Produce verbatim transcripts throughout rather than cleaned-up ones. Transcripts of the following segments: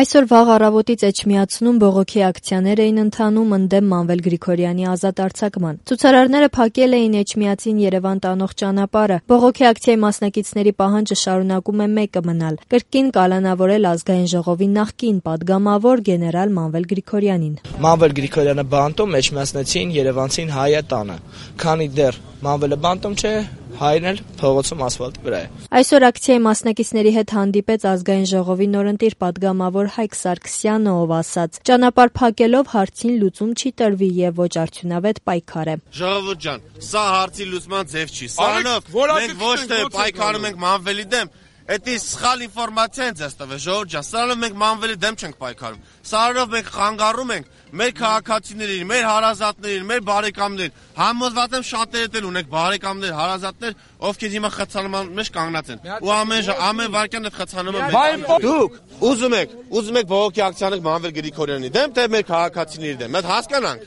Այսօր վաղ առավոտից Էջմիածնում բողոքի ակցիաներ էին ընթանում ընդդեմ Մանվել Գրիգորյանի ազատ արձակման։ Ցուցարարները փակել էին Էջմիածին Երևան տանող ճանապարհը։ Բողոքի ակցիայի մասնակիցների պահանջը շարունակում է մեկը մնալ՝ կրկին կալանավորել ազգային ժողովի նախկին падգամավոր գեներալ Մանվել Գրիգորյանին։ Մանվել Գրիգորյանը բանտում, Էջմիածնեցին Երևանցին հայը տանը։ Քանի դեռ Մանվելը բանտում չէ, հայրն էլ փողոցում ասֆալտի վրա է։ Այսօր ակցիայի մասնակիցների հետ հանդիպեց ազգային ժողովի նորընտիր падգամավոր Հայկ Սարգսյանը, ով ասաց. «Ճանապարհ փակելով հարցին լուծում չի տրվի եւ ոչ արդյունավետ պայքար է»։ Ժողովուրդ ջան, սա հարցի լուծման ձև չի։ Սրանով մենք ոչ թե պայքարում ենք Մանվելի դեմ, Էդի սխալ ինֆորմացիա են ձեզ տվել, ժողովուրդ ջան, սրանով մենք Մանվելի դեմ չենք պայքարում։ Սրանով մենք խանգարում ենք մեր քաղաքացիներին, մեր հարազատներին, մեր բարեկամներին։ Համոզված եմ շատերդ էլ ունեք բարեկամներ, հարազատներ, ովքեր հիմա խցանման մեջ կանգնած են։ Ու ամեն ամեն վարքյան այդ խցանումը դուք ուզում եք, ուզում եք բողոքի ակցիաներ Մանվել Գրիգորյանի դեմ, թե մեր քաղաքացիների դեմ։ Մենք հասկանանք։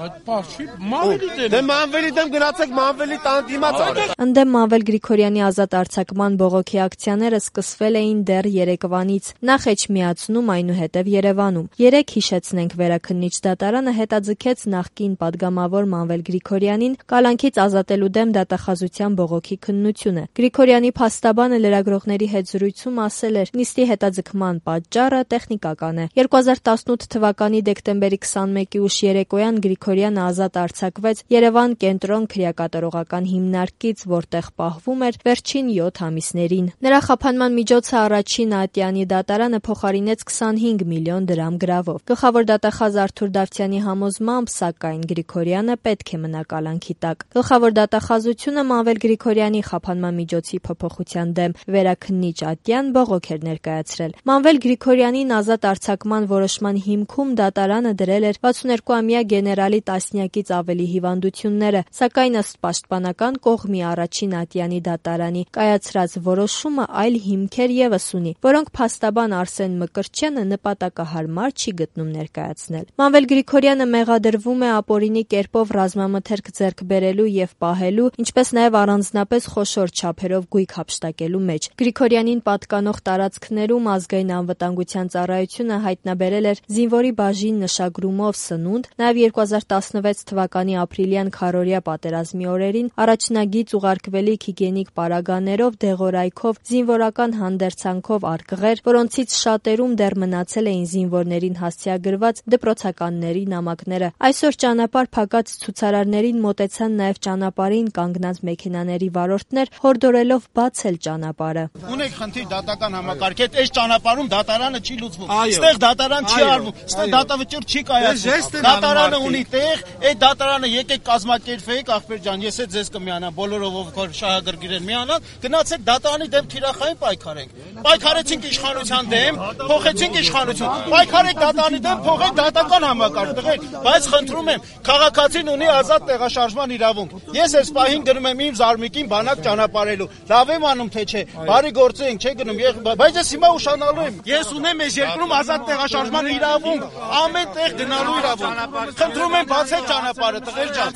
Այդ բախշի Մանվելի դեմ։ Դե Մանվելի դեմ գնացեք Մանվելի տան դիմաց արեք։ Ընդդեմ Մանվել Գրիգորյանի ազատ արձակման բողոքի ակցիաները սկսվել էին դեռ երեկվանից, նախ Էջմիածնում, այնուհետև Երևանում։ Երեկ հիշեցնենք Վերաքննիչ դատարանը հետաձգեց նախկին падգամավոր Մանվել Գրիգորյանին կալանքից ազատելու դեմ դատախազության բողոքի քննությունը։ Գրիգորյանի փաստաբանը լրագրողների հետ զրույցում ասել էր. նիստի հետաձգման պատճառը տեխնիկական է։ երկու հազար տասնութ թվականի դեկտեմբերի քսանմեկի ուշ երեկոյան Գրիգորյանը ազատ արձակվեց Երևան կենտրոն քրեակատարողական հիմնարկից, որտեղ պահվում էր վերջին յոթ ամիսներին։ Նրա խափանման միջոցը առաջին ատյանի դատարանը փոխարինեց քսանհինգ միլիոն դրամ գրավով։ Գլխավոր դատախազ Արթուր Դավթյանի համոզմամբ, սակայն Գրիգորյանը պետք է մնա կալանքի տակ։ Գլխավոր դատախազությունը Մանվել Գրիգորյանի խափանման միջոցի փոփոխության դեմ վերաքննիչ ատյան բողոք էր ներկայացրել։ Մանվել Գրիգորյանին ազատ արձակման որոշման հիմքում դատարանը դրել էր վաթսունհերկուամյա գեներալի տասնյակից ավելի հիվանդությունները, սակայն ըստ պաշտպանական կողմի առաջին ատյանի դատարանի կայացրած որոշումը այլ հիմքեր ևս ունի, որոնք փաստաբան Արսեն Մկրտչյանը նպատակահարմար չի գտնում ներկայացնել։ Մանվել Գրիգորյանը մեղադրվում է ապօրինի կերպով ռազմամթերք ձեռք բերելու եւ պահելու, ինչպես նաեւ առանձնապես խոշոր չափերով գույք հափշտակելու մեջ։ Գրիգորյանին պատկանող տարածքներում ազգային անվտանգության ծառայությունը հայտնաբերել էր զինվորի բաժին նշագրումով սնունդ, նաեւ երկու հազար տասնվեց թվականի ապրիլյան քառօրյա պատերազմի օրերին առաջնագիծ ուղարկվելիք հիգիենիկ պարագաներով, դեղորայքով, զինվորական հանդերձանքով արկղեր, որոնցից շատերում դեռ մնացել էին զինվորներին հասցեագրված դպրոցականների նամակները։ Այսօր ճանապարհ փակած ցուցարարներին մոտեցան նաեւ ճանապարհին կանգնած մեքենաների վարորդներ, հորդորելով բացել ճանապարհը։ Ունեք խնդիր դատական համակարգետ, այս ճանապարհում դատարանը չի լուծվում։ Այստեղ դատարան չի արվում, այստեղ դատավճիռ չի կայացվում։ Դատարանը ունի տեղ, այդ դատարանը եկեք կազմակերպվեք, ախպեր ջան, ես էլ ձեզ կմիանամ, բոլորով ովքեր շահագրգիռ են միանալ, գնացեք դատարանի դեմ թիրախային պայքարենք։ Պայքարեցինք իշխանության դեմ, փոխեցինք իշխանություն։ Պայքարեք դատարանի դեմ, փոխեք դատական համակարգ, տղեր, բայց խնդրում եմ, քաղաքացին ունի ազատ տեղաշարժման իրավունք։ Ես այս պահին գնում եմ իմ զարմիկին բանակ ճանապարհելու։ Լավ եմ անում թե չէ, բարի գործ ենք, չէ գնում, բայց ես հիմա ուշանալու եմ։ Ես ունեմ այս երկրում ազատ տեղաշարժման իրավունք, ամեն տեղ գնալու իրավունք։ Խնդրում եմ բացեք ճանապարհը, տղեր ջան։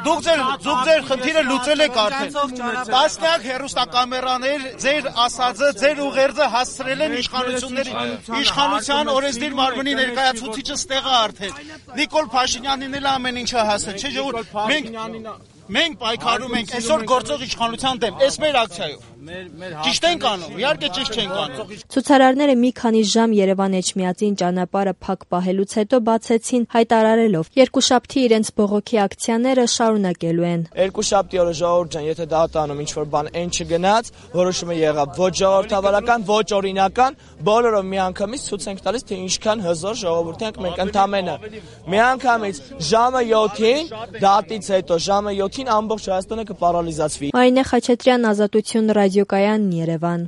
Դուք ձեր դուք ձեր խնդիրը լուծել եք արդեն։ Տասնյակ հեռուստակամերաներ ձեր ասածը, ձեր ուղերձը հասցրել են իշխանությունների, իշխանության օրենսդիր մարմնի ներկայացուցիչը ստեղա արդեն։ Նիկոլ Փաշինյանին էլ ամեն ինչը հասել, չէ՞ ժողովուրդ։ Մենք մենք պայքարում ենք այսօր գործող իշխանության դեմ, այս մեր ակցիայով։ Ճիշտ ենք անում, իհարկե ճիշտ չենք անում։ Ցուցարարները մի քանի ժամ Երևան-Էջմիածին ճանապարհը փակ պահելուց հետո բացեցին, հայտարարելով. երկուշաբթի իրենց բողոքի ակցիաները շարունակելու են։ Երկուշաբթի օրը ժողովուրդ ջան, եթե դատարանում ինչ որ բան այն չգնաց, որոշումը եղավ ոչ ժողովրդավարական, ոչ օրինական, բոլորը միանգամից ցույց ենք տալիս, թե ինչքան հզոր ժողովուրդ ենք մենք ընդամենը։ Միանգամից ժամը յոթին, դատից հետո ժամը յոթին ամբողջ Հայաստանը կպարալիզացվի։ Մարինե Խաչատրյան, Ազատություն ռադիոկայան, Երևան։